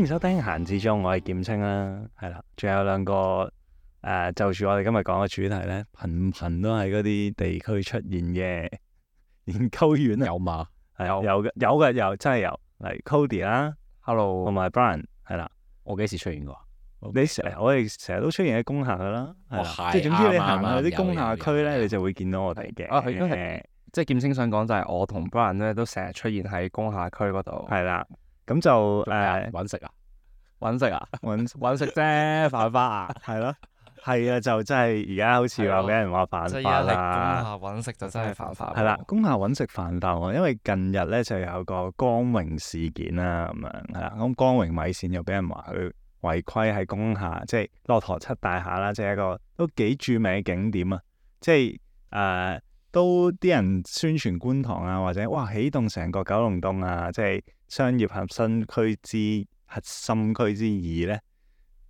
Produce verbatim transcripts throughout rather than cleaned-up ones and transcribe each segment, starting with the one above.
迎收聽閒置中，我係劍青啦，係啦，仲有兩個誒、呃，就住我哋今日講嘅主題咧，頻頻都係嗰啲地區出現嘅研究院啊，有嘛？係有有嘅，有嘅有，真係有，嚟 Cody 啦 Hello，同埋 Brian 係啦，我幾時出現過？你成日我哋成日都出現喺工廈噶啦，係啦，係即係總之你啱行啱去啲工廈區咧，有有有你就會見到我哋嘅，啊，佢都係即係劍青想講就係我同 Brian 咧都成日出現喺工廈區嗰度，係啦，咁就誒揾食啊？揾食啊，揾揾食啫，犯法啊，係咯，係啊，就真係而家好似話俾人話犯法即係而家啦。喺工廈揾食就真係犯法。係啦，工廈揾食犯法喎，因為近日咧就有個光榮事件啦，咁樣係啦，咁光榮米線又俾人話佢違規喺工廈，即係駱駝漆大廈啦，即係一個都幾著名嘅景點啊，即係誒、呃、都啲人宣傳觀塘啊，或者哇起動成個九龍東啊，即係商業核心區之核心區之二咧。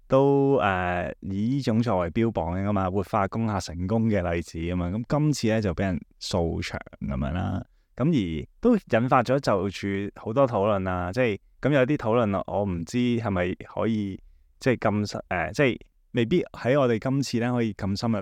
都誒、呃、以呢種作為標榜嘅嘛，活化工廈成功嘅例子啊嘛，咁今次咧就俾人掃場咁樣啦，咁而都引發咗就住好多討論啊，即係咁有啲討論我唔知係咪可以即係咁深誒，即係未必喺我哋今次咧可以咁深入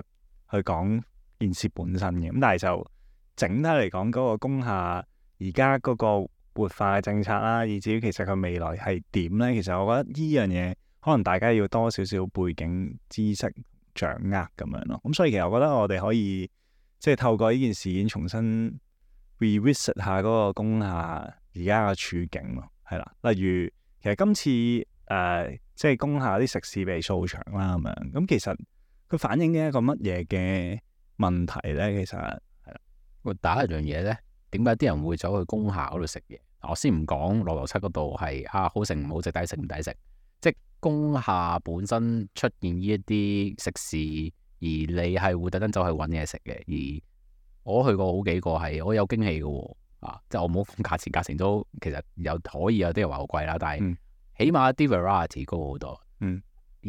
去講件事本身嘅，咁但係就整體嚟講嗰個工廈而家嗰個活化嘅政策啦，以至於其實佢未來係點咧，其實我覺得呢樣嘢。可能大家要多少少背景知識掌握咁樣咯，咁所以其實我覺得我哋可以即係透過呢件事件重新 revisit 下嗰個工廈而家嘅處境咯，係啦，例如其實今次誒、呃、即係工廈啲食肆被掃場啦咁樣，咁其實佢反映嘅一個乜嘢嘅問題咧？其實係啦，喂，第一樣嘢咧，點解啲人會走去工廈嗰度食嘢？我先唔講羅流七嗰度係啊好食唔好食，抵食唔抵食，即工廈本身出現呢一啲食肆，而你係會特登走去揾嘢食嘅。而我去過好幾個係，我有驚喜嘅喎，啊，即係我冇講價錢，價錢都其實有可以有啲人話好貴啦，但係起碼啲 variety 高好多。嗯，而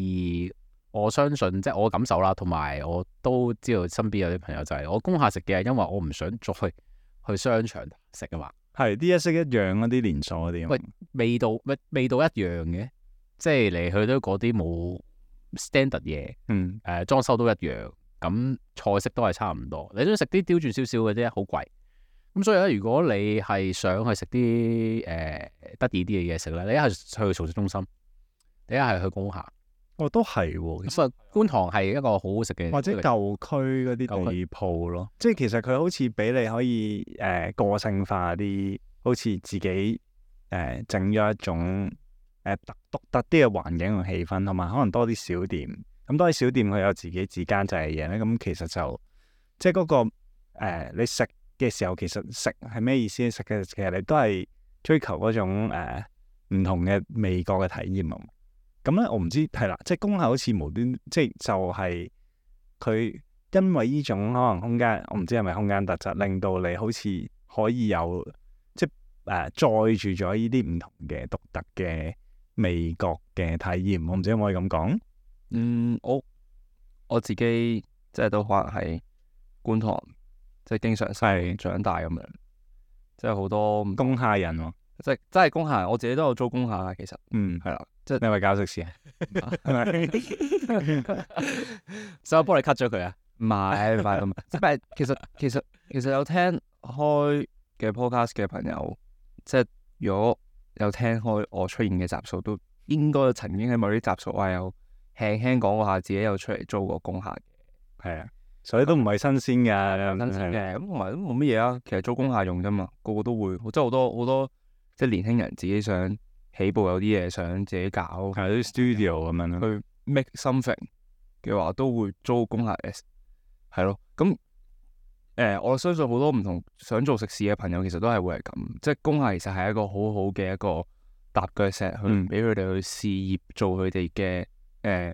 我相信即係我感受啦，同埋我都知道身邊有啲朋友就係、是、我工廈食嘅，因為我唔想再去去商場食啊嘛。係啲一式一樣嗰啲連鎖嗰啲。喂，味道味味道一樣嘅。即係嚟去都嗰啲冇 standard 嘢，嗯，誒、呃、裝修都一樣，咁菜式都係差唔多。你都食啲刁鑽少少嘅啫，好貴。咁所以咧，如果你係想去食啲誒得意啲嘅嘢食咧，你一係去熟食中心，你一係去工廈。哦，都係喎。咁啊，觀塘係一個好好食嘅，或者舊區嗰啲地鋪咯，即係其實佢好似俾你可以誒、呃、個性化啲，好似自己誒整咗一種。誒特獨特啲嘅環境同氣氛，同埋可能多啲小店，咁多啲小店佢有自己自監製嘅嘢咧，咁其實就即係嗰、那個、呃、你食嘅時候，其實食係咩意思？食嘅其實你都係追求嗰種誒唔、呃、同嘅味覺嘅體驗啊。咁咧我唔知係啦，即係工廈好似無端，即係就係佢因為呢種可能空間，我唔知係咪空間特質，令到你好似可以有即係誒、呃、載住咗呢啲唔同嘅獨特嘅味覺嘅體驗，我唔知可唔可以咁講？嗯，我我自己即係都可能係觀塘，即係經常細長大咁樣，即係好多工廈人喎、哦，即係真係工廈，我自己都有租工廈嘅，其實，嗯，係啦，即係你係咪搞食肆啊？係咪？所以我幫你 cut 咗佢啊？唔係唔係咁，即係其實其實其實有聽開嘅 podcast 嘅朋友，即係如果有聽開我出現嘅集數，都應該曾經喺某啲集數話有輕輕講過下自己有出嚟租過工廈嘅，係啊，所以都唔係新鮮㗎，新鮮嘅，咁同埋都冇乜嘢啊。其實租工廈用啫嘛，個個都會，即係好多好多即係年輕人自己想起步有啲嘢想自己搞，係啲 studio 咁樣咯，去 make something 嘅話都會租工廈嘅，係咯，咁。誒、呃，我相信好多唔同想做食肆嘅朋友，其實都係會係咁，即係工廈其實係一個好好嘅一個踏腳石，去俾佢哋去試業，做佢哋嘅誒，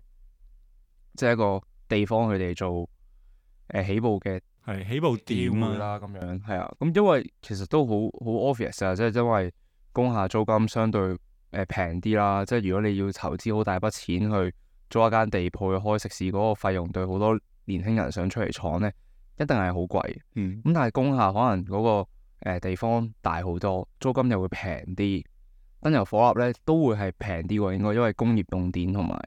即係一個地方，佢哋做誒、呃、起步嘅係起步點啦，咁樣係啊。咁因為其實都好好 obvious 啊，即係因為工廈租金相對誒平啲啦，即係如果你要投資好大筆錢去租一間地鋪去開食肆，嗰個費用對好多年輕人想出嚟闖咧，一定係好貴，嗯，咁但係工廈可能嗰、那個誒、呃、地方大好多，租金又會平啲，燈油火蠟咧都會係平啲喎，應該因為工業用電同埋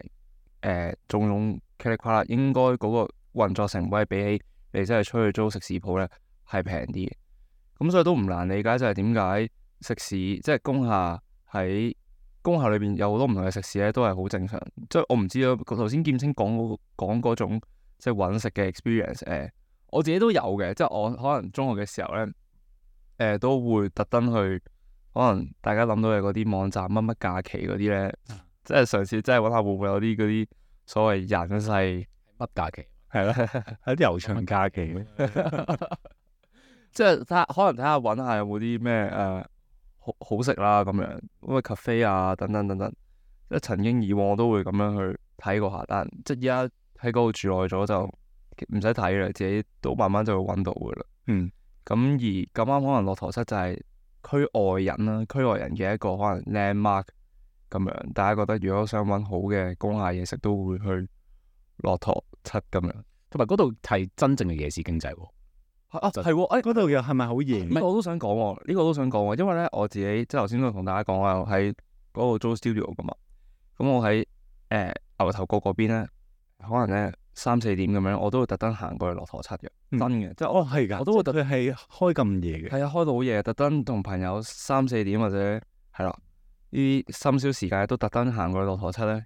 誒種種噼里啪啦，應該嗰個運作成本係比起你真係出去租食肆鋪咧係平啲嘅。咁所以都唔難理解，就係點解食肆即係工廈喺工廈裏邊有好多唔同嘅食肆咧，都係好正常。即係我唔知啊，頭先劍青講嗰講嗰種即係揾食嘅 experience，誒、呃，我自己都有嘅。即係我可能中學嘅時候咧，誒、呃、都會特登去，可能大家諗到嘅嗰啲網站乜乜假期嗰啲咧，即係嘗試即係揾下會唔會有啲嗰啲所謂人世乜假期？係啦，有啲悠長假期，即係睇下，可能睇下揾下有冇啲咩誒好好食啦咁樣，咁啊 cafe 啊等等等等。即係曾經以往我都會咁樣去睇過下，但即係依家喺嗰度住耐咗就唔使睇啦，自己都慢慢就會揾到噶啦。嗯，咁而咁啱可能駱駝漆就係區外人啦，區外人嘅一個可能 landmark 咁樣，大家覺得如果想揾好嘅工廈嘢食，都會去駱駝漆咁樣。同埋嗰度係真正嘅夜市經濟喎。啊，係喎，誒嗰度又係咪好夜？呢個我都想講喎，呢、這個我都想講喎，因為咧我自己即係頭先都同大家講話喺嗰度租 studio 噶嘛，咁我喺誒、呃、牛頭角嗰邊咧，可能咧三四點咁樣，我都會特登行過去駱駝漆嘅，嗯、真嘅，即係哦係㗎，我都會特佢係開咁夜嘅，係啊，開到好夜，特登同朋友三四點或者係啦呢啲深宵時間都特登行過去駱駝漆咧，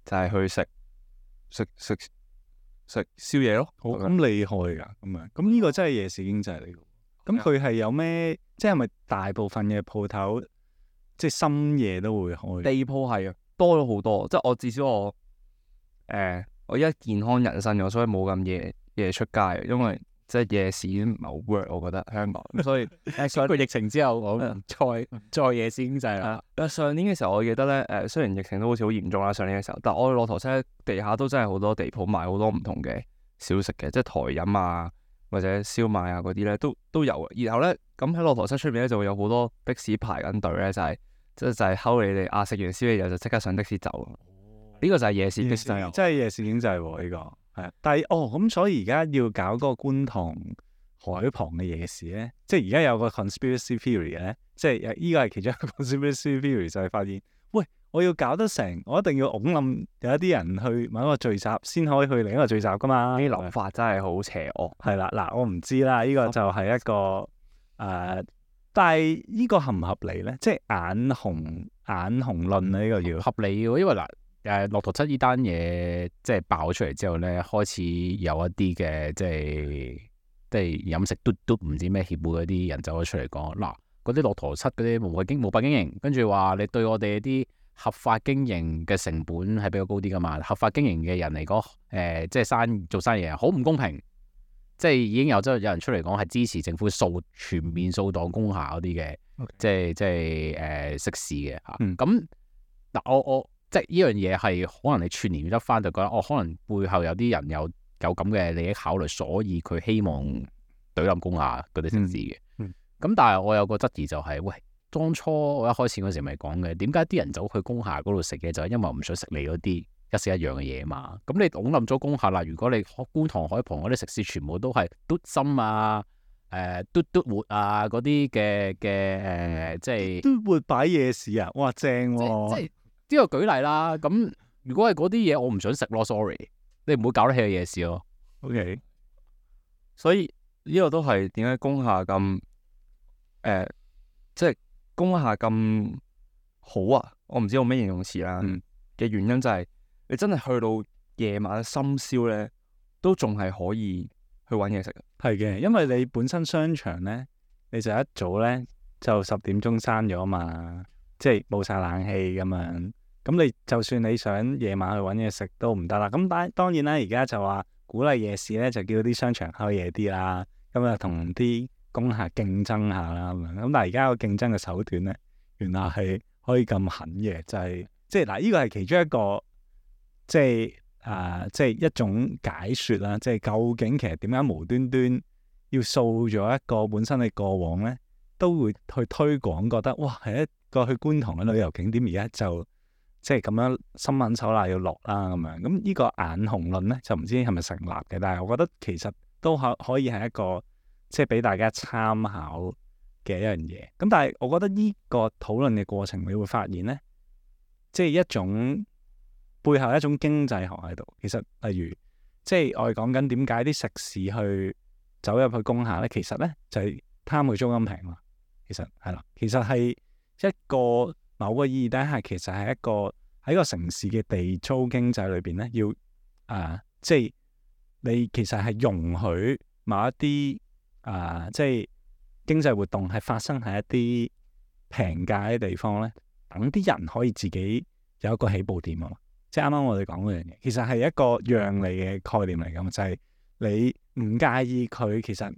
就係、是、去食食食食宵夜咯，好咁厲害㗎咁啊！咁呢個真係夜市經濟嚟㗎。咁佢係有咩？即係咪大部分嘅鋪頭，即係深夜都會開？地鋪係啊，多咗好多。即係我至少我誒、呃，我依家健康人生咗，所以冇咁夜夜出街，因為即係夜市已經唔係好 work，我覺得香港。咁所以誒上個疫情之後，我唔再再夜市經濟啦。誒上年嘅時候，我記得咧誒，雖然疫情都好似好嚴重啦，上年嘅時候，但我去駱駝漆地下都真係好多地鋪賣好多唔同嘅小食嘅，即係台飲啊。或者燒賣啊嗰啲咧都都有嘅，然後咧咁喺駱駝漆出面咧就會有好多的士排緊隊咧，就係即係就係睺你哋啊食完宵夜就即刻上的士走。呢、哦、個就係夜市經濟，真係夜市經濟喎呢個係。但係哦咁，所以而家要搞嗰個觀塘海旁嘅夜市咧，即係而家有個 conspiracy theory 咧，即係依個係其中一個 conspiracy theory 就係發現，喂，我要搞得成，我一定要拱冧有一啲人去某一個聚集，先可以去另一個聚集噶嘛。呢啲諗法真係好邪惡。係啦，嗱，我唔知啦，呢、這個就係一個誒、呃，但係呢個合唔合理咧？即係眼紅眼紅論啊，呢、這個要合理嘅，因為嗱誒駱駝漆呢單嘢即係爆出嚟之後咧，開始有一啲嘅即係即係飲食嘟嘟唔知咩協會嗰啲人走咗出嚟講，嗱嗰啲駱駝漆嗰啲無法經無法經營，跟住話你對我哋啲合法經營嘅成本係比較高啲噶嘛？合法經營嘅人嚟講，誒、呃，即係生做生意好唔公平，即係已經有即係有人出嚟講係支持政府掃全面掃檔工廈嗰啲嘅，Okay. 即係即係誒食肆嘅嚇。咁嗱、嗯，我我即係呢樣嘢係可能你串連得翻，就覺得哦，可能背後有啲人有有咁嘅利益考慮，所以佢希望懟冧工廈嗰啲食肆嘅。咁、嗯嗯、但係我有個質疑就係、是，喂。當初我一開始嗰時咪講嘅，點解啲人走去工廈嗰度食嘅就係因為唔想食你嗰啲一式一樣嘅嘢嘛？咁你拱冧咗工廈啦，如果你觀塘海旁嗰啲食肆全部都係嘟心啊、誒、呃、嘟嘟活啊嗰啲嘅嘅誒，即係嘟活擺夜市啊！哇，正喎、啊！即係呢個舉例啦。咁如果係嗰啲嘢，我唔想食咯 ，sorry，你唔會搞得起個夜市咯。OK，所以呢個都係點解工廈咁誒，即、呃、係。就是工廈咁好啊！我唔知用咩形容詞啦嘅、嗯、原因就係、是、你真係去到夜晚深宵咧，都仲係可以去揾嘢食。係嘅，因為你本身商場咧，你就一早咧就十點鐘閂咗嘛，即係冇晒冷氣咁樣。咁你就算你想夜晚去揾嘢食都唔得啦。咁當當然啦，而家就話鼓勵夜市咧，就叫啲商場開夜啲啦。咁啊，同啲工廈競爭下啦，咁但係而家個競爭嘅手段咧，原來係可以咁狠嘅，就係即係嗱，呢個係其中一個，即係啊，即係一種解說啦，即係究竟其實點解無端端要掃咗一個本身嘅過往咧，都會去推廣，覺得哇係一個去觀塘嘅旅遊景點，而家就即係咁樣心狠手辣要落啦咁樣，咁呢個眼紅論咧就唔知係咪成立嘅，但係我覺得其實都可可以係一個。即係俾大家參考嘅一樣嘢。咁但係我覺得呢個討論嘅過程，你會發現咧，即係一種背後一種經濟學喺度。其實例如，即係我哋講緊點解啲食肆去走入去工廈咧，其實咧就係貪佢租金平嘛。其實係啦，其實係一個某個意義底下，其實係一個喺個城市嘅地租經濟裏邊咧，要啊、呃，即係你其實係容許某一啲啊、呃，即係經濟活動係發生喺一啲平價嘅地方咧，等啲人可以自己有一個起步點啊嘛。即係啱啱我哋講嗰樣嘢，其實係一個讓利嘅概念嚟㗎嘛，就係、是、你唔介意佢其實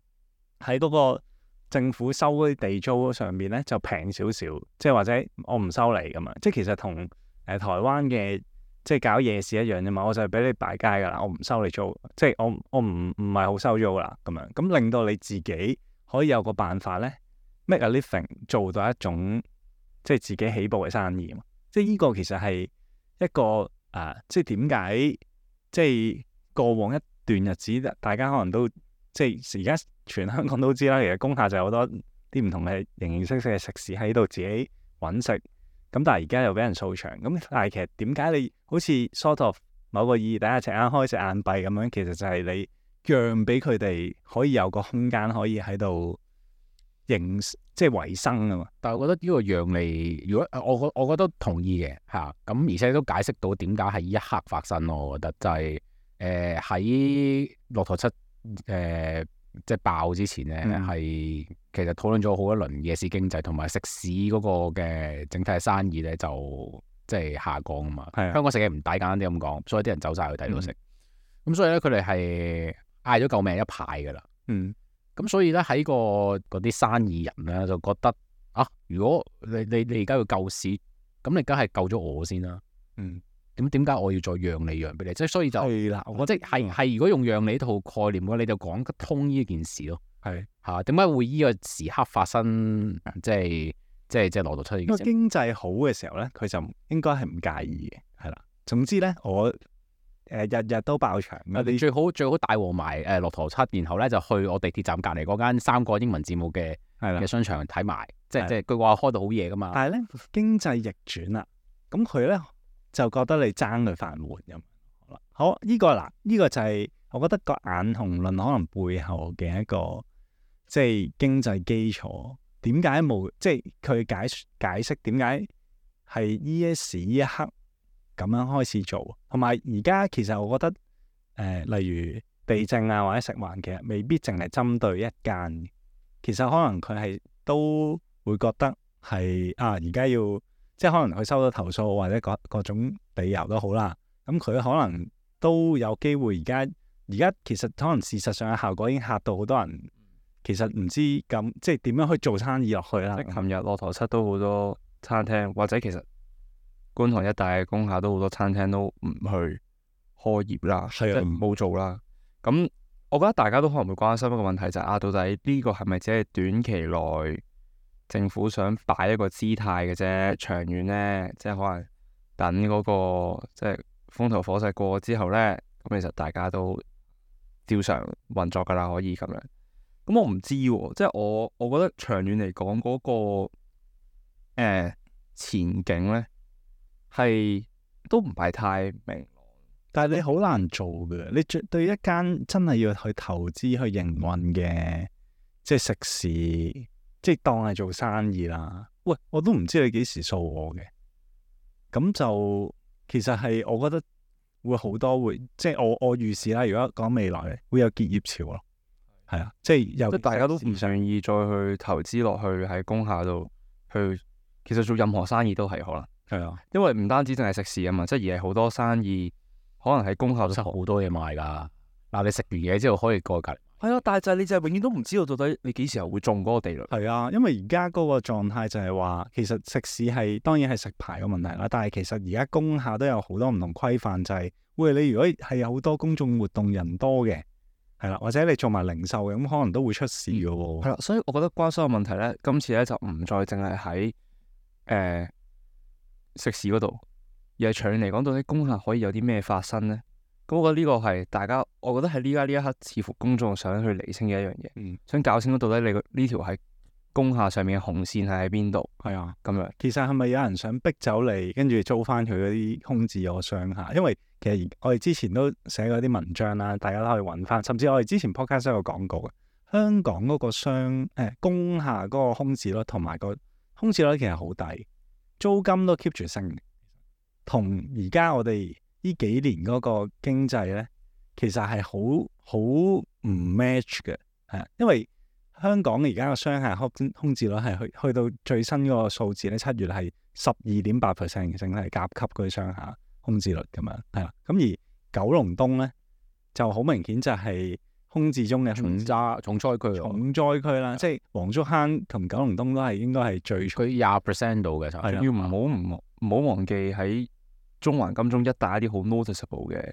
喺嗰個政府收嗰啲地租上面咧就平少少，即係或者我唔收你㗎嘛。即係其實同誒、呃、台灣嘅即係搞夜市一樣啫嘛，我就係俾你擺街㗎啦，我唔收你租，即係我我唔唔係好收租㗎啦咁樣，咁令到你自己可以有個辦法咧 make a living 做到一種即係自己起步嘅生意嘛。即係呢個其實係一個。啊，即係點解？即係過往一段日子，大家可能都即係而家全香港都知啦。其實工廈就有好多啲唔同嘅形形色色嘅食肆喺度自己揾食。咁但係而家又俾人掃場。咁但係其實點解你好似 sort of 某個意義底下隻眼開隻眼閉咁樣？其實就係你讓俾佢哋可以有個空間可以喺度營即係維生啊嘛。但係我覺得呢個讓利，如果我我我覺得同意嘅嚇，咁而且都解釋到點解係呢一刻發生咯。我覺得就係誒喺駱駝漆誒即係爆之前咧，係、嗯、其實討論咗好一輪夜市經濟同埋食肆嗰個嘅整體嘅生意咧，就即係下降啊嘛。係啊，香港食嘢唔抵，簡單啲咁講，所以啲人走晒去第度食。咁、嗯、所以咧，佢哋係嗌咗救命一排噶啦。嗯。咁所以咧喺個嗰啲生意人咧就覺得啊，如果你你你而家要救市，咁你梗係救咗我先啦。嗯，點點解我要再讓你讓俾你？即係所以就係啦，我覺得即係係如果用讓你呢套概念嘅話，你就講得通呢件事咯。係嚇，點解會呢個時刻發生？即係即係即係駱駝漆呢件事。經濟好嘅時候咧，佢就應該係唔介意嘅，係啦。總之咧，我。誒日日都爆場，你最好最好帶和埋誒駱駝漆，然後咧就去我地鐵站隔離嗰間三個英文字母嘅嘅商場睇埋，即係即係佢話開到好夜噶嘛。但係咧經濟逆轉啦，咁佢咧就覺得你爭佢飯碗咁。好啦，好呢、呢個嗱，呢、呢個就係我覺得個眼紅論可能背後嘅一個即係經濟基礎。點解冇即係佢解解釋點解係呢一時呢一刻？咁樣開始做，同埋而家其實我覺得，誒、呃，例如地政啊或者食環，其實未必淨係針對一間，其實可能佢係都會覺得係啊，而家要即係可能佢收到投訴或者各各種理由都好啦，咁佢可能都有機會而家而家其實可能事實上嘅效果已經嚇到好多人，其實唔知咁即係點樣去做生意落去啦。即係琴日駱駝漆都好多餐廳，或者其實。觀塘一帶嘅工廈都好多餐廳都唔去開業啦，即係冇做啦。咁我覺得大家都可能會關心一個問題就係、是、啊，到底呢個係咪只係短期內政府想擺一個姿態嘅啫？長遠呢，即係可能等嗰、那個即係風頭火勢過之後呢，咁其實大家都照常運作噶啦，可以咁樣。咁我唔知喎、啊，即係我我覺得長遠嚟講嗰個誒、呃、前景呢。係都唔係太明，但係你好難做嘅。你絕對一間真係要去投資去營運嘅，即係食肆，即係當係做生意啦。喂，我都唔知你幾時掃我嘅。咁就其實係我覺得會好多會，即係我我預示啦。如果講未來會有結業潮咯，係啊，即係有即係大家都唔願意再去投資落去喺工廈度去，其實做任何生意都係可能。係啊，因為唔單止淨係食肆啊嘛，即係而係好多生意可能喺工廈都好多嘢賣噶。嗱，你食完嘢之後可以過隔籬。係啊，但係就係你就係永遠都唔知道到底你幾時候會中嗰個地雷。係啊，因為而家嗰個狀態就係話，其實食肆係當然係食牌嘅問題啦，但係其實而家工廈都有好多唔同規範，就係、是、喂，你如果係有好多公眾活動人多嘅，係啦，或者你做埋零售嘅，咁可能都會出事嘅喎。係啦，所以我覺得關心嘅問題咧，今次咧就唔再淨係喺誒食肆嗰度，而係長遠嚟講，到底工廈可以有啲咩發生咧？咁我覺得呢個係大家，我覺得喺呢家呢一刻，似乎公眾想去釐清嘅一樣嘢，嗯、想搞清楚到底你個呢條係工廈上面嘅紅線係喺邊度係啊。咁樣。其實係咪有人想逼走你，跟住租翻佢嗰啲空置咗商廈？因為其實我哋之前都寫過啲文章啦，大家都可以揾翻。甚至我哋之前 podcast 都有講過嘅，香港嗰個商誒、欸、工廈嗰個空置率同埋個空置率其實好低，租金都 keep 住升。同而家我哋呢幾年嗰個經濟咧，其實係好好唔 match 嘅，係啊，因為香港而家個商廈空空置率係去去到最新嗰個數字咧，七月係十二點八 percent 嘅，整體係甲級嗰啲商廈空置率咁樣，係啦。咁而九龍東咧就好明顯就係空置中嘅重災重災區，重災區啦，即係黃竹坑同九龍東都係應該係最佢廿 percent 度嘅，就係啦要唔好唔唔好忘記喺中環金鐘一帶一啲好 noticeable 嘅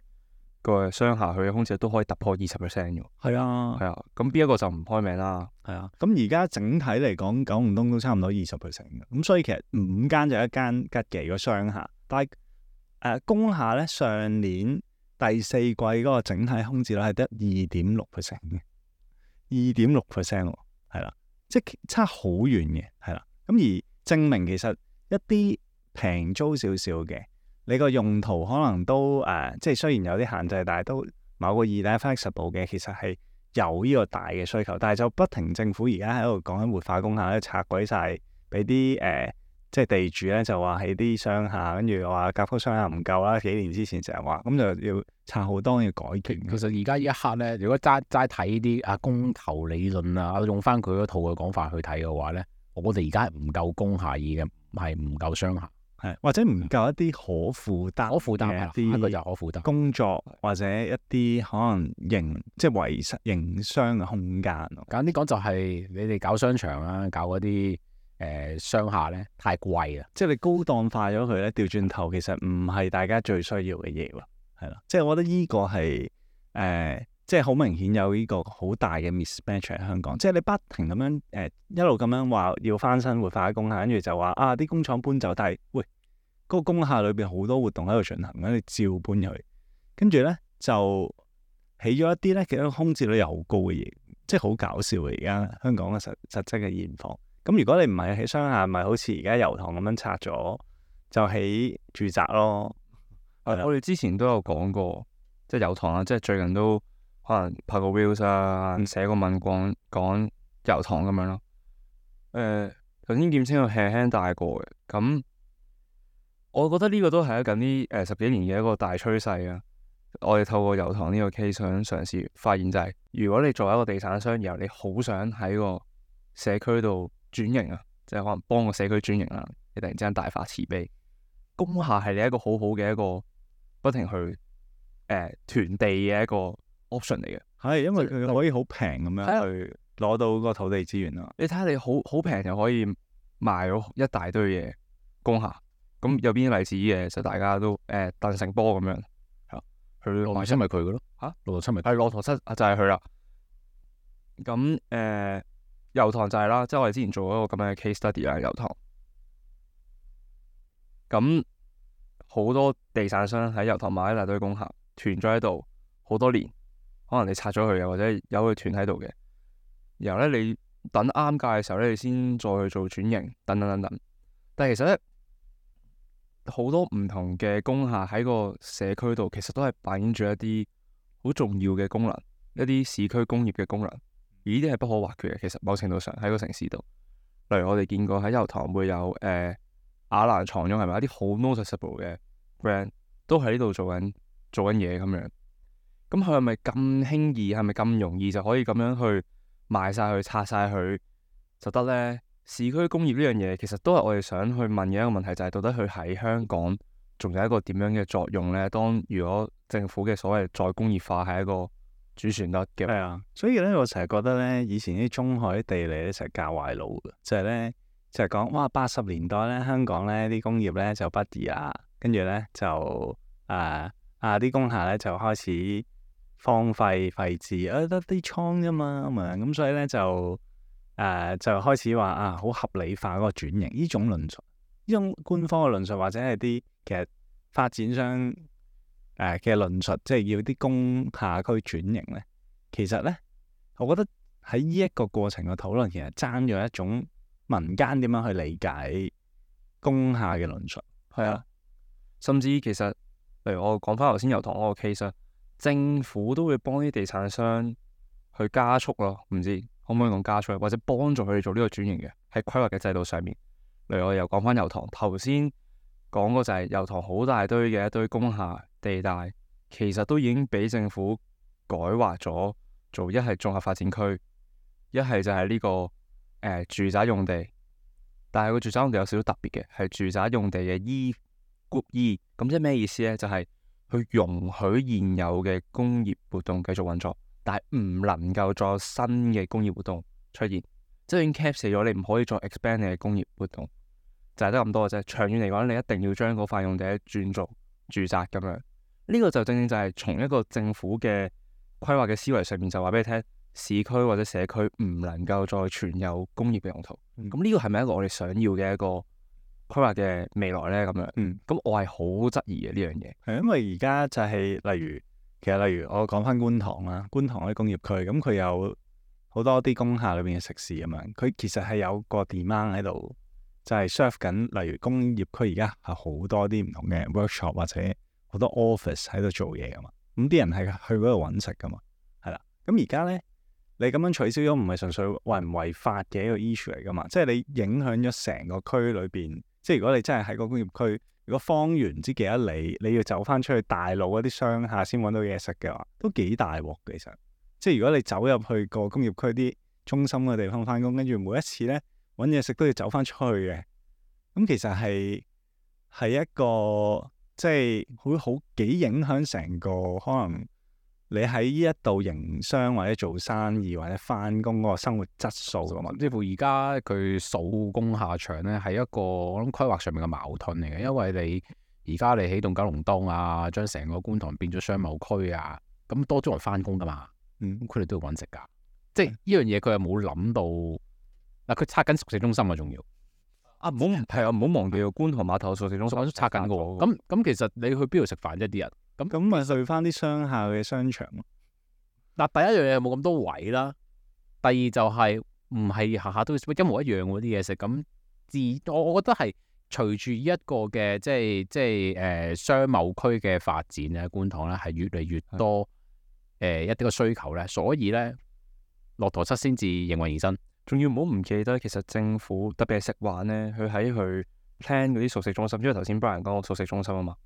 個商廈，佢嘅空置率都可以突破二十 percent 嘅。係啊，係啊，咁邊一個就唔開名啦。係啊。咁而家整體嚟講，九龍東都差唔多二十 percent 嘅。咁所以其實五間就一間吉記個商廈，但係誒工廈咧上年第四季嗰個整體空置率係得二點六 percent 嘅，二點六 percent 喎，係啦，即係差好遠嘅，係啦。咁而證明其實一啲平租少少嘅，你個用途可能都誒、呃，即係雖然有啲限制，但係都某個二大 flexible 嘅，其實係有呢個大嘅需求，但係就不停政府而家喺度講緊活化工廈咧，拆鬼晒俾啲誒，即係地主咧就話喺啲商廈，跟住話甲級商廈唔夠啦，幾年之前成日話，咁就要拆好多要改建。其實而家呢一刻咧，如果齋齋睇啲啊供求理論啊，用翻佢嗰套嘅講法去睇嘅話咧，我哋而家係唔夠工廈已嘅，係唔夠商廈。係或者唔夠一啲可負擔、可負擔嘅一個就啲可負擔工作，或者一啲可能營即係維實營商嘅空間咯。簡單啲講就係你哋搞商場啊，搞嗰啲誒商廈咧太貴啦，即係你高檔化咗佢咧，調轉頭其實唔係大家最需要嘅嘢喎，係啦。即係我覺得呢個係誒、呃，即係好明顯有呢個好大嘅 mismatch 喺香港。即係你不停咁樣誒、呃、一路咁樣話要翻新活化工廈，跟住就話啊啲工廠搬走，但係喂嗰、那個工廈裏邊好多活動喺度進行，咁你照搬入去，跟住咧就起咗一啲咧其實空置率又好高嘅嘢，即係好搞笑嘅而家香港嘅實實質嘅現況。咁如果你唔係喺商廈，咪好似而家油塘咁樣拆咗，就起住宅咯。我哋之前都有講過，即係油塘啊，即係最近都可能拍個 reels 啊，寫個文講講油塘咁樣咯。誒、呃，頭先劍青又輕輕帶過嘅，咁我覺得呢個都係近呢誒十幾年嘅一個大趨勢啊。我哋透過油塘呢個 case 想嘗試發現就係、是，如果你作為一個地產商，然後你好想喺個社區度轉型啊，即係可能幫個社區轉型啦，你突然之間大發慈悲，工廈係你一個好好嘅一個不停去誒囤地嘅一個 option 嚟嘅。係因為佢可以好平咁樣去攞到個土地資源啊。你睇下你好好平就可以賣咗一大堆嘢工廈，咁有邊啲例子嘅？就大家都誒鄧成波咁樣，係佢羅頭七咪佢嘅咯嚇，羅頭七咪係駱駝七就係佢啦。咁誒油塘就係啦，即係我哋之前做一個咁樣嘅 case study 啦，油塘。咁好多地產商喺油塘買一大堆工廈，囤咗喺度好多年，可能你拆咗佢，又或者有佢囤喺度嘅。然後咧，你等啱價嘅時候咧，你先再去做轉型，等等等等。但係其實咧，好多唔同嘅工廈喺個社區度，其實都係扮演住一啲好重要嘅功能，一啲市區工業嘅功能。而呢啲係不可或缺嘅。其實某程度上喺個城市度，例如我哋見過喺油塘會有誒、呃、雅蘭床褥，係咪一啲好 noticeable 嘅 brand 都喺呢度做緊做緊嘢咁樣。咁佢係咪咁輕易？係咪咁容易就可以咁樣去賣晒佢、拆晒佢就得呢？市區工業呢樣嘢其實都係我哋想去問嘅一個問題，就係到底佢喺香港仲有一個點樣嘅作用呢？當如果政府嘅所謂再工業化係一個主旋律嘅，係啊，所以咧我成日覺得咧，以前啲中海地理咧成日教壞腦嘅，就係咧就係講哇八十年代咧香港咧啲工業咧就不宜啦，跟住咧就誒啊啲工廈咧就開始荒廢廢置，啊得啲倉啫嘛咁啊，咁所以咧就誒、啊、就開始話啊好合理化嗰個轉型，呢種論述，呢種官方嘅論述或者係啲其實發展商誒嘅論述，即係要啲工廈區轉型咧，其實咧，我覺得喺呢一個過程嘅討論，其實爭咗一種民間點樣去理解工廈嘅論述。係啊，甚至其實例如我講翻頭先油塘嗰個 case 啊，政府都會幫啲地產商去加速咯，唔知可唔可以講加速，或者幫助佢哋做呢個轉型嘅喺規劃嘅制度上面。例如我又講翻油塘，頭先講過就係油塘好大堆嘅一堆工廈地帶，其實都已經俾政府改劃咗做一係綜合發展區，一係就係呢、這個誒、呃、住宅用地。但係個住宅用地有少少特別嘅，係住宅用地嘅 E Group E， 咁即係咩意思呢？就係、是、去容許現有嘅工業活動繼續運作，但係唔能夠再有新嘅工業活動出現，即係已經 cap 死咗，你唔可以再 expand 你嘅工業活動，就係得咁多嘅啫。長遠嚟講，你一定要將嗰塊用地轉做住宅咁樣。呢、這個就正正就係從一個政府嘅規劃嘅思維上面就話俾你聽。市區或者社區唔能夠再存有工業嘅用途，咁呢個係咪一個我哋想要嘅一個規劃嘅未來呢？咁樣，咁、嗯、我係好質疑嘅呢樣嘢。係因為而家就係、是、例如，其實例如我講翻觀塘啦，觀塘嗰啲工業區，咁佢有好多啲工廈裏邊嘅食肆咁樣，佢其實係有個 demand 喺度，就係 serve 緊。例如工業區而家係好多啲唔同嘅 workshop 或者好多 office 喺度做嘢噶嘛，咁啲人係去嗰度揾食噶嘛，係啦。咁而家呢。你咁樣取消咗，唔係純粹違唔違法嘅一個 issue 嚟噶嘛？即係你影響咗成個區裏邊。即係如果你真係喺個工業區，如果方圓唔知幾多里，你要走翻出去大路嗰啲商廈先揾到嘢食嘅話，都幾大鑊嘅。其實，即係如果你走入去個工業區啲中心嘅地方翻工，跟住每一次咧揾嘢食都要走翻出去嘅，咁其實係係一個即係會好幾影響成個可能。你喺呢一度營商或者做生意或者翻工嗰個生活質素噶嘛？甚至乎而家佢數工廈場咧，係一個我諗規劃上面嘅矛盾嚟嘅，因為你而家你起棟九龍東啊，將成個觀塘變咗商貿區啊，咁多咗人翻工噶嘛，咁佢哋都要揾食噶，即係呢樣嘢佢又冇諗到嗱，佢拆緊熟食中心啊，仲要啊唔好係啊，唔好忘記個觀塘碼頭熟食中心都拆緊嘅喎，咁咁其實你去邊度食飯啫？啲人？咁咁咪去翻啲商廈嘅商場咯。嗱，第一樣嘢冇咁多位啦，第二就係唔係下下都一模一樣嗰啲嘢食。咁自我我覺得係隨住呢一個嘅即係即係誒、呃、商貿區嘅發展咧，觀塘咧係越嚟越多誒、呃、一啲嘅需求咧，所以咧駱駝漆先至應運而生。仲要唔好唔記得，其實政府特別係食環咧，佢喺佢 plan 嗰啲熟食中心，因為頭先 Brian 講過熟食中心啊嘛。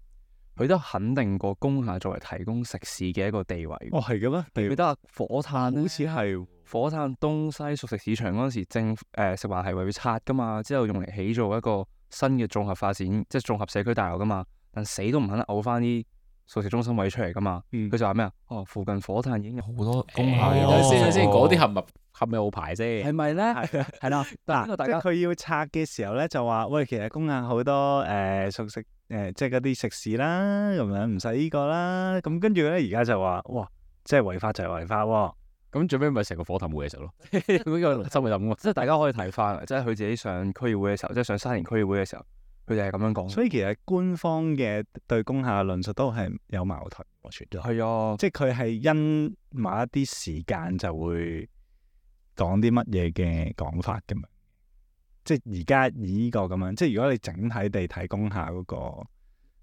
佢都肯定過工廈作為提供食肆嘅一個地位。哦，係嘅咩？記唔記得啊？火炭好似係火炭東西熟食市場嗰陣時，政府誒食環係為佢拆噶嘛，之後用嚟起做一個新嘅綜合發展，即係綜合社區大樓噶嘛。但死都唔肯嘔翻啲熟食中心位出嚟噶嘛。佢、嗯、就話咩啊？哦，附近火炭已經有好多工廈。等先等先，嗰啲合唔合咪好牌啫？係咪咧？係啦。嗱，即係佢要拆嘅時候咧，就話喂，其實工廈好多誒、呃、熟食。誒、呃，即係嗰啲食肆啦，咁樣唔使呢個啦，咁跟住咧，而家就話，哇，即係違法就係違法喎，咁最尾咪成個火頭冇嘢食咯，呢個心咪諗，即係大家可以睇翻，即係佢自己上區議會嘅時候，即係上沙田區議會嘅時候，佢哋係咁樣講。所以其實官方嘅對工廈嘅論述都係有矛盾，我覺得。係啊，即係佢係因某一啲時間就會講啲乜嘢嘅講法㗎嘛。即係而家以呢個咁樣，即係如果你整體地睇工廈嗰個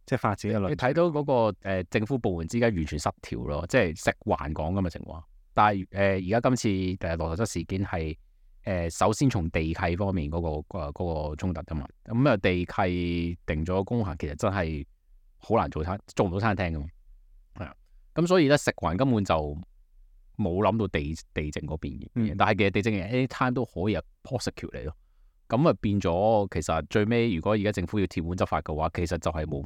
即係發展嘅論，你睇到嗰、那個、呃、政府部門之間完全失調咯，即係食環講咁嘅情況。但係誒而家今次誒駱駝漆事件係誒、呃、首先從地契方面嗰、那個誒嗰、呃那個衝突㗎嘛。咁、嗯、啊地契定咗工廈，其實真係好難做餐做唔到餐廳㗎嘛。係啊，咁所以咧食環根本就冇諗到地地政嗰邊嘅，嗯、但係其實地政嘅 anytime 都可以有 prosecute 嚟咯。咁啊變咗，其實最尾如果而家政府要鐵腕執法嘅話，其實就係冇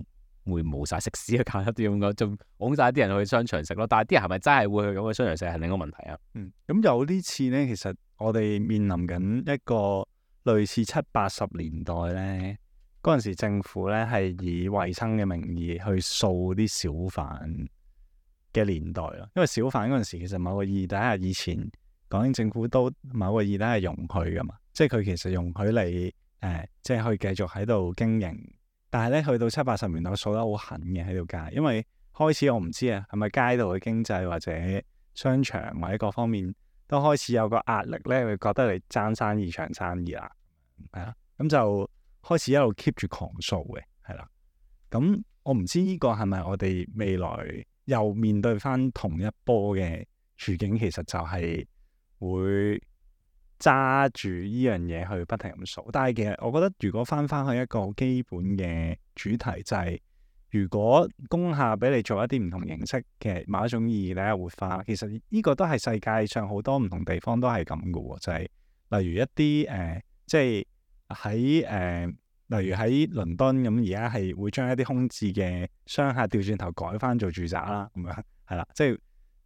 會冇晒食肆嘅簡單啲咁講，就拱晒啲人去商場食咯。但係啲人係咪真係會去咁去商場食係另一個問題啊？嗯，咁有啲次咧，其實我哋面臨緊一個類似七八十年代咧，嗰陣時政府咧係以衞生嘅名義去掃啲小販嘅年代咯。因為小販嗰陣時其實某個意義底下，以前港英政府都某個意義底下容許噶嘛。即係佢其實容許你誒、呃，即係可以繼續喺度經營，但係咧去到七八十年代掃得好狠嘅喺條街，因為開始我唔知啊，係咪街道嘅經濟或者商場或者各方面都開始有個壓力咧，會覺得你爭生意搶生意啦。係啦，咁就開始一路 keep 住狂掃嘅，係啦。咁我唔知呢個係咪我哋未來又面對翻同一波嘅處境，其實就係會揸住呢樣嘢去不停咁掃。但係其實我覺得，如果翻翻去一個基本嘅主題，就係、是、如果工廈俾你做一啲唔同形式嘅某一種意義咧活化，其實呢個都係世界上好多唔同地方都係咁嘅喎，就係、是、例如一啲誒、呃，即係喺誒，例如喺倫敦咁，而家係會將一啲空置嘅商廈調轉頭改翻做住宅啦，咁樣係啦，即係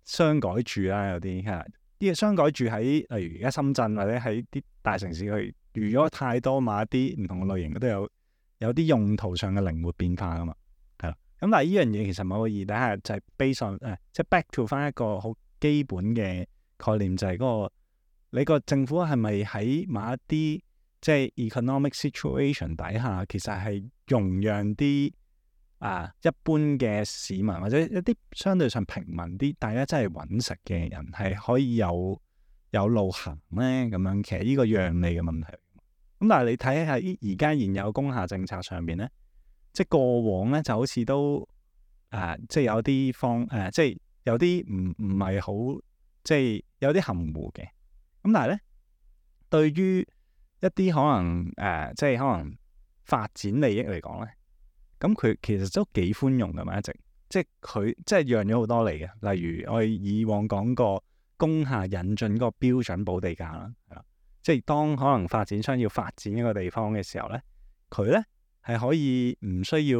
商改住啦，有啲係啲商改住喺例如而家深圳或者喺啲大城市去，如果太多買一啲唔同嘅類型，都有有啲用途上嘅靈活變化噶嘛。咁但係呢樣嘢其實某個意義底下就係 base on 誒，即係 back to 翻一個好基本嘅概念，就係、是、嗰、那個你個政府係咪喺某一啲即係 economic situation 底下，其實係容讓啲啊一般嘅市民或者一啲相對上平民啲，大家真係揾食嘅人係可以有有路行咧？咁樣其實呢個讓利嘅問題。咁但係你睇下而家現有工廈政策上邊咧。即係過往咧，就好似都誒、呃，即係有啲方誒、呃，即係有啲唔唔係好，即係有啲含糊嘅。咁但係咧，對於一啲可能誒、呃，即係可能發展利益嚟講咧，咁佢其實都幾寬容㗎嘛，一直即係佢即係讓咗好多嚟嘅。例如我哋以往講過工廈引進嗰個標準補地價啦，係啦，即係當可能發展商要發展一個地方嘅時候咧，佢咧。係可以唔需要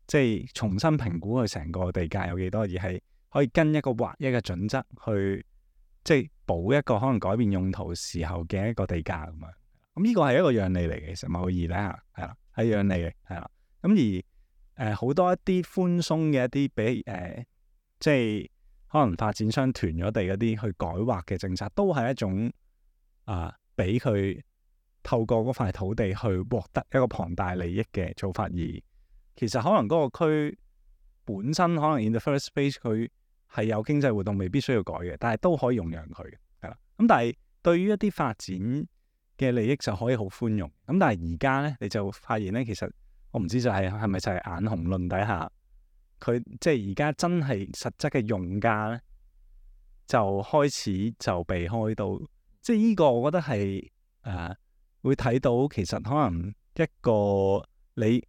即係重新評估佢成個地價有幾多，而係可以跟一個劃一嘅準則去即係補一個可能改變用途時候嘅一個地價咁樣。咁呢個係一個讓利嚟嘅，其實某個意義咧係啦，係讓利嘅係啦。咁而誒好、呃、多一啲寬鬆嘅一啲俾誒即係可能發展商囤咗地嗰啲去改劃嘅政策，都係一種啊俾佢。透過嗰塊土地去獲得一個龐大利益嘅做法，而其實可能嗰個區本身可能 in the first place 佢係有經濟活動，未必需要改嘅，但係都可以容讓佢嘅，係啦。咁但係對於一啲發展嘅利益就可以好寬容。咁但係而家咧，你就發現咧，其實我唔知就係係咪就係眼紅論底下，佢即係而家真係實質嘅用家咧，就開始就被開到，即係呢個我覺得係誒。呃會睇到其實可能一個你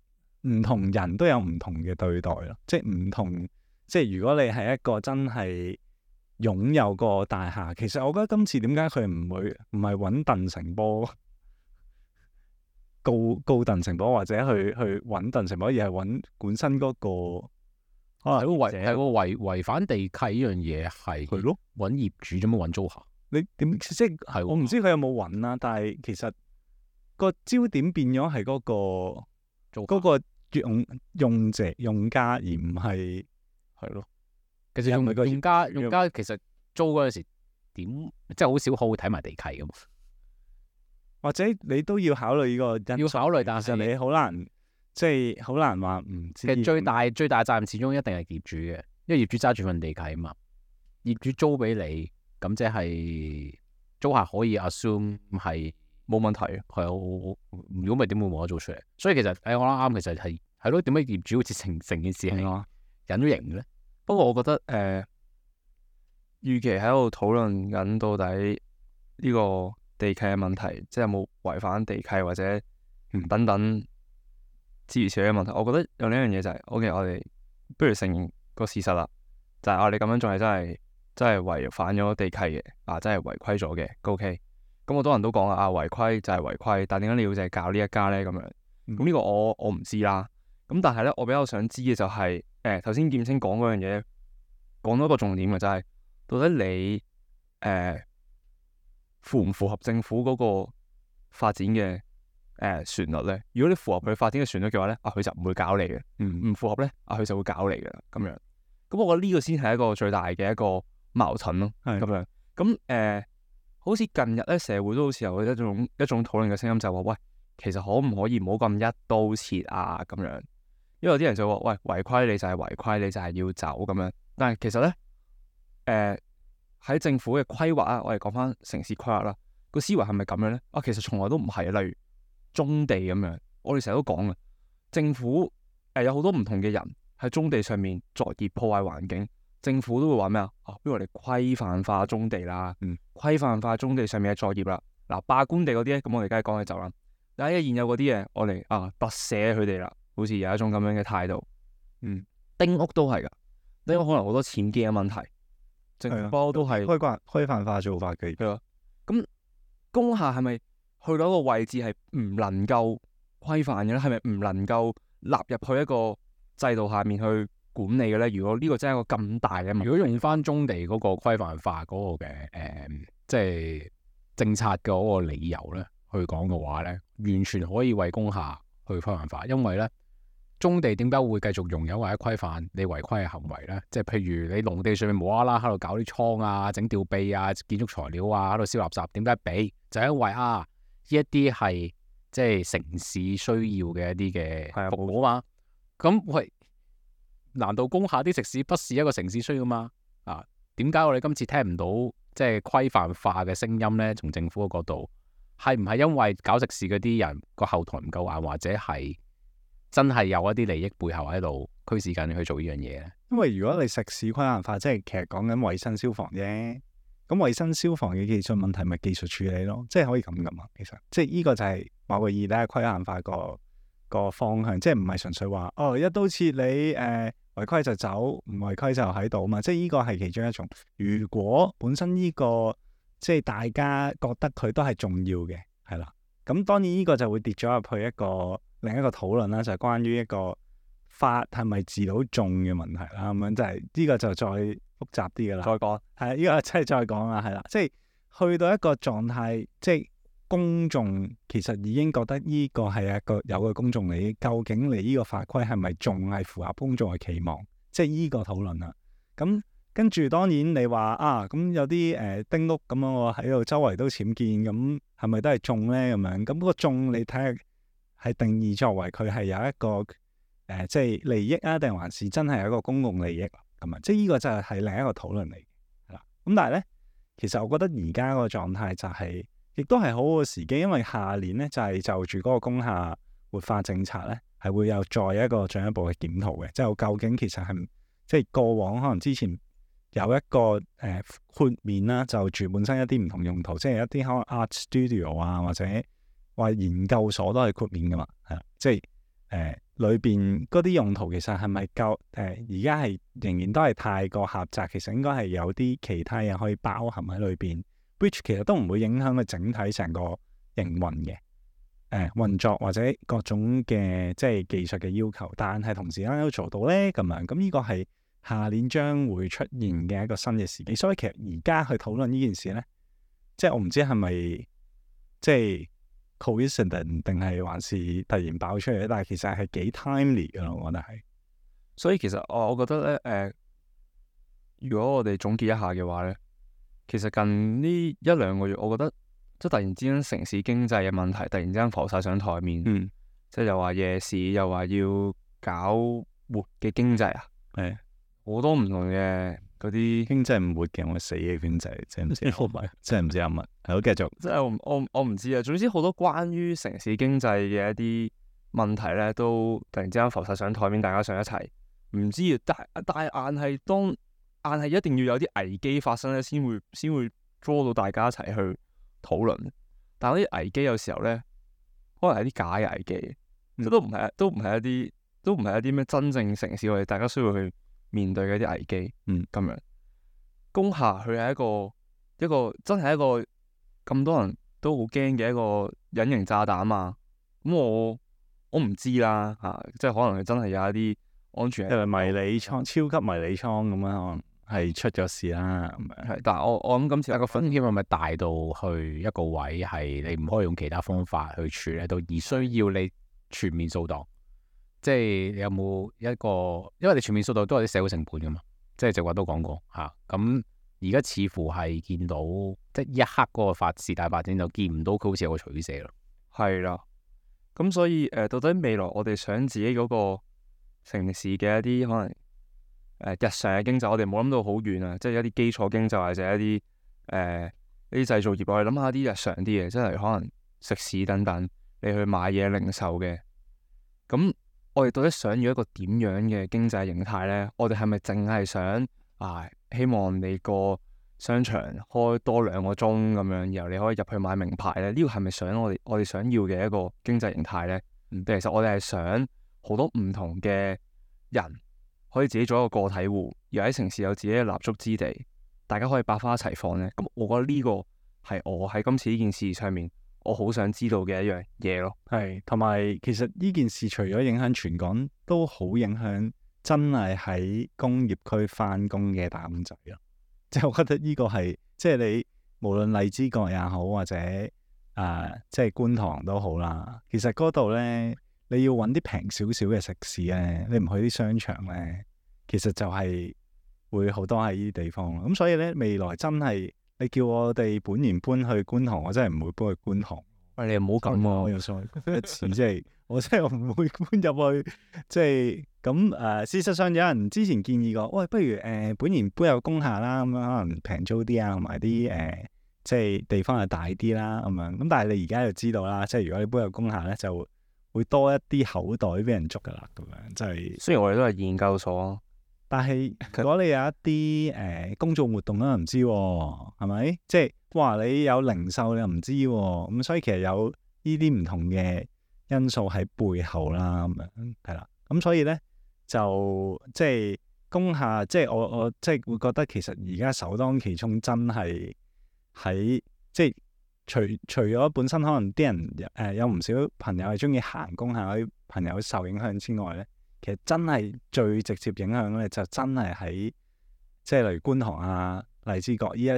唔同人都有唔同嘅對待咯，即係唔同，即係如果你係一個真係擁有個大廈，其實我覺得今次點解佢唔會唔係揾鄧成波告告鄧成波或者去去揾鄧成波，而係揾本身嗰個可能係個違違違反地契呢樣嘢係係咯，揾業主做乜揾租客？你點即係係我唔知佢有冇揾啦，但係其實。個焦點變咗係嗰個嗰個用用者用家，而唔係係咯。其實用用家用家其實租嗰陣時點，即係好少可會睇埋地契噶嘛。或者你都要考慮呢個因素，要考慮，但係你好難即係好難話唔知。其實最大最大責任始終一定係業主嘅，因為業主揸住份地契啊嘛。業主租俾你，咁即係租客可以 assume 係。冇問題，係啊！如果唔係點會冇得做出嚟？所以其實誒、哎，我諗啱，其實係係咯。點解業主好似成成件事係隱咗形嘅咧？不過我覺得誒，與其喺度討論緊到底呢個地契嘅問題，即係有冇違反地契或者等等諸如此類嘅問題，我覺得有呢樣嘢就係、是、，OK，我哋不如承認個事實啦，就係、是、我哋咁樣做係真係真係違反咗地契嘅，啊，真係違規咗嘅 ，OK。咁好多人都講啊，違規就係違規，但係點解你要淨係教呢一家咧？咁樣，咁呢個我我唔知啦。咁但係咧，我比較想知嘅就係、是，誒頭先劍青講嗰樣嘢，講到一個重點嘅就係、是，到底你誒、呃、符唔符合政府嗰個發展嘅誒旋律咧？如果你符合佢發展嘅旋律嘅話咧，啊佢就唔會搞你嘅；唔唔符合咧，啊佢就會搞你嘅啦。咁樣，咁我覺得呢個先係一個最大嘅一個矛盾咯。係咁樣，咁誒。呃好似近日咧，社會都好似有一種一種討論嘅聲音，就話喂，其實可唔可以唔好咁一刀切啊？咁樣，因為有啲人就話喂，違規你就係違規，你就係要走咁樣。但係其實咧，誒、呃、喺政府嘅規劃啊，我哋講翻城市規劃啦，個思維係咪咁樣咧？啊，其實從來都唔係啊。例如棕地咁樣。我哋成日都講嘅，政府誒、呃、有好多唔同嘅人喺棕地上面作業破壞環境，政府都會話咩啊？啊，不如我哋規範化棕地啦，嗯，規範化棕地上面嘅作業啦。嗱，罷官地嗰啲咧，咁我哋梗係講起走啦。但係現有嗰啲嘢，我哋啊特赦佢哋啦，好似有一種咁樣嘅態度。嗯，丁屋都係噶，丁屋可能好多僭建嘅問題，政府不嬲都係規範規範化做法嘅。係咯。咁工廈係咪去到一個位置係唔能夠規範嘅咧？係咪唔能夠納入去一個制度下面去管理嘅咧？如果呢個真係一個咁大嘅問題，如果用翻棕地嗰個規範化嗰個嘅誒、呃，即係政策嘅嗰個理由咧，去講嘅話咧，完全可以為工廈去規範化，因為咧棕地點解會繼續容有或者規範你違規嘅行為咧？即係譬如你農地上面無啦啦喺度搞啲倉啊、整吊臂啊、建築材料啊，喺度燒垃圾，點解俾？就因為啊，呢一啲係即係城市需要嘅一啲嘅服務啊嘛。咁喂，難道工廈啲食肆不是一個城市需要嘛？啊，點解我哋今次聽唔到即係規範化嘅聲音咧？從政府嘅角度，係唔係因為搞食肆嗰啲人個後台唔夠硬，或者係真係有一啲利益背後喺度驅使緊你去做呢樣嘢咧？因為如果你食肆規範化，即係其實講緊衞生消防啫。咁衞生消防嘅技術問題咪技術處理咯，即係可以咁噶嘛。其實即係呢個就係某個意義咧，規範化個個方向，即係唔係純粹話哦一刀切你誒、呃、違規就走，唔違規就喺度嘛。即係呢個係其中一種。如果本身呢、這個即係大家覺得佢都係重要嘅，係啦。咁當然呢個就會跌咗入去一個另一個討論啦，就係、是、關於一個法係咪治到眾嘅問題啦。咁樣就係呢個就再複雜啲噶啦。再講係呢個真係再講啦，係啦。即係去到一個狀態，即係公眾其實已經覺得呢個係一個有嘅公眾利益。究竟你呢個法規係咪仲係符合公眾嘅期望？即係呢個討論啦。咁跟住當然你話啊，咁有啲誒、呃、丁屋咁樣，我喺度周圍都僭建，咁係咪都係種咧？咁樣咁嗰個種你睇下係定義作為佢係有一個誒、呃、即係利益啊，定還是真係有一個公共利益咁啊？即係呢個就係係另一個討論嚟嘅啦。咁但係咧，其實我覺得而家個狀態就係、是、亦都係好好嘅時機，因為下年咧就係、是、就住嗰個工廈活化政策咧，係會有再一個進一步嘅檢討嘅，即係究竟其實係即係過往可能之前。有一個誒、呃、豁免啦，就住本身一啲唔同用途，即係一啲可能 art studio 啊，或者話研究所都係豁免噶嘛，係啦，即係誒裏邊嗰啲用途其實係咪夠誒？而家係仍然都係太過狹窄，其實應該係有啲其他嘢可以包含喺裏邊 which 其實都唔會影響佢整體成個營運嘅誒運作或者各種嘅即係技術嘅要求，但係同時間都做到咧咁樣，咁呢個係。下年將會出現嘅一個新嘅時機，所以其實而家去討論呢件事咧，即係我唔知係咪即係 coincidence 定係還是突然爆出嚟咧？但係其實係幾 timely 嘅咯，我覺得係。所以其實我我覺得咧，誒、呃，如果我哋總結一下嘅話咧，其實近呢一兩個月，我覺得即係突然之間城市經濟嘅問題突然之間浮晒上台面，嗯，即係又話夜市，又話要搞活嘅經濟啊，係。好多唔同嘅嗰啲經濟唔活嘅，我死嘅經濟，真係唔知，真係唔知有乜。係好繼續，即係我我我唔知啊。總之好多關於城市經濟嘅一啲問題咧，都突然之間浮晒上台面，大家上一齊唔知啊。但但係硬係當硬係一定要有啲危機發生咧，先會先會 draw 到大家一齊去討論。但係啲危機有時候咧，可能係啲假嘅危機，即係、嗯、都唔係都唔係一啲都唔係一啲咩真正城市我哋大家需要去面對嘅一啲危機，嗯，咁樣工廈佢係一個一個真係一個咁多人都好驚嘅一個隱形炸彈啊！咁我我唔知啦嚇、啊，即係可能佢真係有一啲安全，因為迷你倉、超級迷你倉咁樣，可能係出咗事啦咁樣。係，但係我我諗今次但個風險係咪大到去一個位係你唔可以用其他方法去處理到，而需要你全面掃蕩？即係你有冇一個，因為你全面掃蕩都有啲社會成本噶嘛，即係直話都講過嚇。咁而家似乎係見到，即係一刻嗰個發事大發展就見唔到佢好似有個取捨咯。係啦，咁所以誒、呃，到底未來我哋想自己嗰個城市嘅一啲可能誒、呃、日常嘅經濟，我哋冇諗到好遠啊，即係一啲基礎經濟或者一啲誒一啲製造業，我哋諗下啲日常啲嘢，即係可能食肆等等。你去買嘢零售嘅。咁我哋到底想要一個點樣嘅經濟形態呢？我哋係咪淨係想啊？希望你個商場開多兩個鐘咁樣，然後你可以入去買名牌呢？呢個係咪想我哋我哋想要嘅一個經濟形態呢？嗯，其實我哋係想好多唔同嘅人可以自己做一個個體戶，而喺城市有自己嘅立足之地，大家可以百花齊放呢。咁我覺得呢個係我喺今次呢件事上面，我好想知道嘅一樣嘢咯。係，同埋其實呢件事除咗影響全港，都好影響真係喺工業區翻工嘅打工仔咯。即係我覺得呢個係，即係你無論荔枝角也好，或者誒、呃、即係觀塘都好啦。其實嗰度咧，你要揾啲平少少嘅食肆咧，你唔去啲商場咧，其實就係會好多喺呢啲地方。咁所以咧，未來真係你叫我哋本年搬去觀塘，我真係唔會搬去觀塘。喂，你又唔好咁喎，我又再一次即係我真係唔會搬入去，即係咁誒。事實上有人之前建議過，喂，不如誒、呃、本年搬入工廈啦，咁樣可能平租啲啊，同埋啲誒即係地方係大啲啦，咁樣。咁但係你而家就知道啦，即係如果你搬入工廈咧，就會多一啲口袋俾人捉噶啦，咁樣即係。雖然我哋都係研究所，但係如果你有一啲誒、呃、公眾活動咧，唔知喎，係咪？即係哇，你有零售你又唔知喎，咁所以其實有呢啲唔同嘅因素喺背後啦，咁樣係啦。咁所以咧就即係工廈，即係我我即係會覺得其實而家首當其衝真係喺即係除除咗本身可能啲人誒、呃、有唔少朋友係中意行工廈嗰啲朋友受影響之外咧。其實真係最直接影響咧，就真係喺即係例如觀塘啊、荔枝角呢一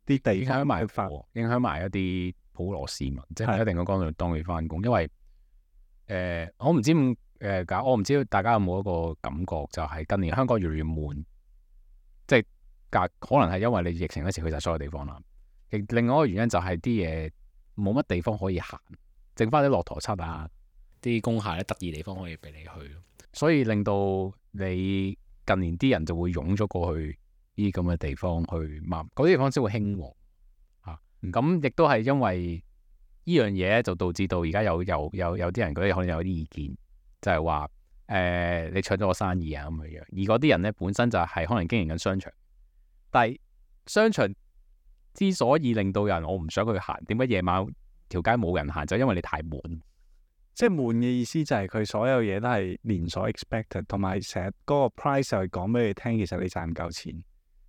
啲地影響埋發，影響埋一啲普羅市民，即係一定要講到當佢翻工。因為誒、呃，我唔知咁誒搞，我唔知大家有冇一個感覺，就係近年香港越嚟越悶，即係隔可能係因為你疫情嗰時去晒所有地方啦。亦另外一個原因就係啲嘢冇乜地方可以行，剩翻啲駱駝漆啊，啲工廈咧得意地方可以俾你去。所以令到你近年啲人就會湧咗過去呢啲咁嘅地方去買，嗰啲地方先會興旺嚇。咁亦都係因為呢樣嘢就導致到而家有有有有啲人嗰啲可能有啲意見，就係話誒你搶咗我生意啊咁樣樣。而嗰啲人咧本身就係可能經營緊商場，但係商場之所以令到人我唔想去行，點解夜晚條街冇人行？就因為你太悶。即係悶嘅意思就係佢所有嘢都係連鎖 expected，同埋成日嗰個 price 就係講俾你聽，其實你賺唔夠錢。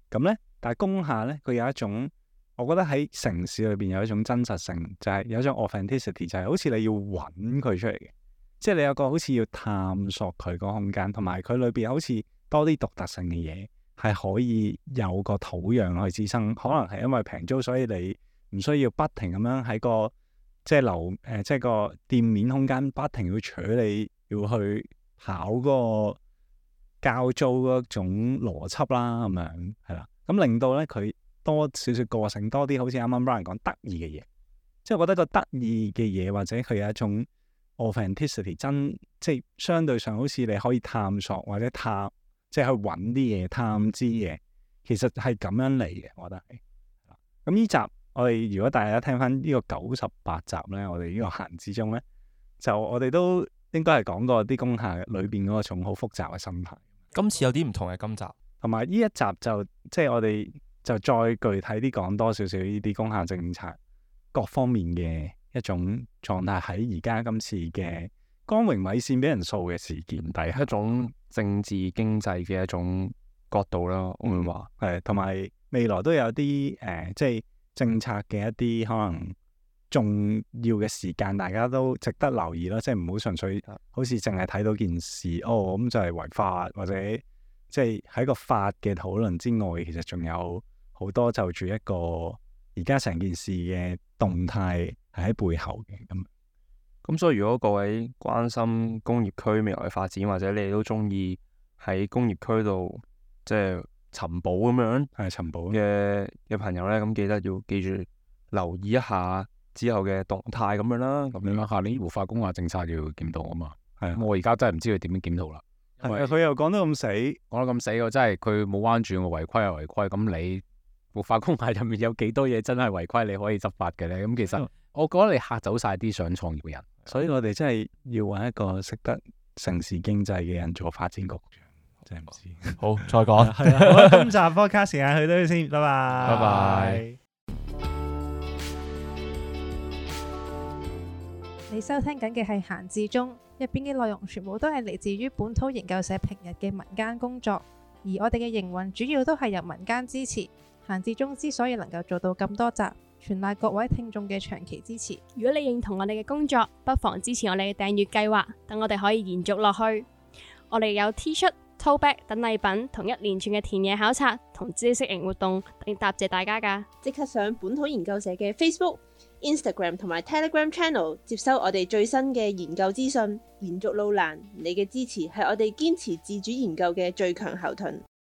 咁咧，但係工廈咧，佢有一種，我覺得喺城市裏邊有一種真實性，就係、是、有一種 authenticity，就係好似你要揾佢出嚟嘅，即係你有個好似要探索佢個空間，同埋佢裏邊好似多啲獨特性嘅嘢，係可以有個土壤去滋生。可能係因為平租，所以你唔需要不停咁樣喺個。即係樓誒，即係個店面空間不停要取你，要去跑嗰個交租嗰種邏輯啦，咁樣係啦。咁令到咧佢多少少個性，多啲好似啱啱 Brian 講得意嘅嘢。即係我覺得個得意嘅嘢，或者佢有一種 authenticity，真即係相對上好似你可以探索或者探，即係去揾啲嘢探知嘅，其實係咁樣嚟嘅。我覺得係。咁呢集。我哋如果大家聽翻呢個九十八集咧，我哋呢個閒之中咧，就我哋都應該係講過啲工廈裏邊嗰種好複雜嘅心態。今次有啲唔同嘅今集，同埋呢一集就即係我哋就再具體啲講多少少呢啲工廈政策各方面嘅一種狀態喺而家今次嘅光榮米線俾人掃嘅事件底下，一種政治經濟嘅一種角度啦，我會話係同埋未來都有啲誒、呃，即係。政策嘅一啲可能重要嘅時間，大家都值得留意咯。即係唔好純粹好似淨係睇到件事，哦咁就係違法，或者即係喺個法嘅討論之外，其實仲有好多就住一個而家成件事嘅動態係喺背後嘅咁。咁所以如果各位關心工業區未來嘅發展，或者你哋都中意喺工業區度即係尋寶咁樣，係尋寶嘅嘅朋友咧，咁記得要記住留意一下之後嘅動態咁樣啦。咁你諗下年活化工廈政策要檢討啊嘛，係啊，的我而家真係唔知佢點樣檢討啦。係佢又講得咁死，講得咁死喎，真係佢冇彎轉，我違規係違規。咁你活化工廈入面有幾多嘢真係違規，你可以執法嘅咧？咁其實我覺得你嚇走晒啲想創業嘅人。所以我哋真係要揾一個識得城市經濟嘅人做發展局長，真係唔知。好，再講。係啊，好啦，今集 podcast 時間去到呢度先，拜拜。拜拜。你收聽緊嘅係閒置中，入邊嘅內容全部都係嚟自於本土研究社平日嘅民間工作，而我哋嘅營運主要都係由民間支持。閒置中之所以能夠做到咁多集，全賴各位聽眾嘅長期支持。如果你認同我哋嘅工作，不妨支持我哋嘅訂閱計劃，等我哋可以延續落去。我哋有 T 恤、tote bag 等禮品，同一連串嘅田野考察同知識型活動，嚟答謝大家㗎。即刻上本土研究社嘅 Facebook、Instagram 同埋 Telegram Channel 接收我哋最新嘅研究資訊。延續路難，你嘅支持係我哋堅持自主研究嘅最強後盾。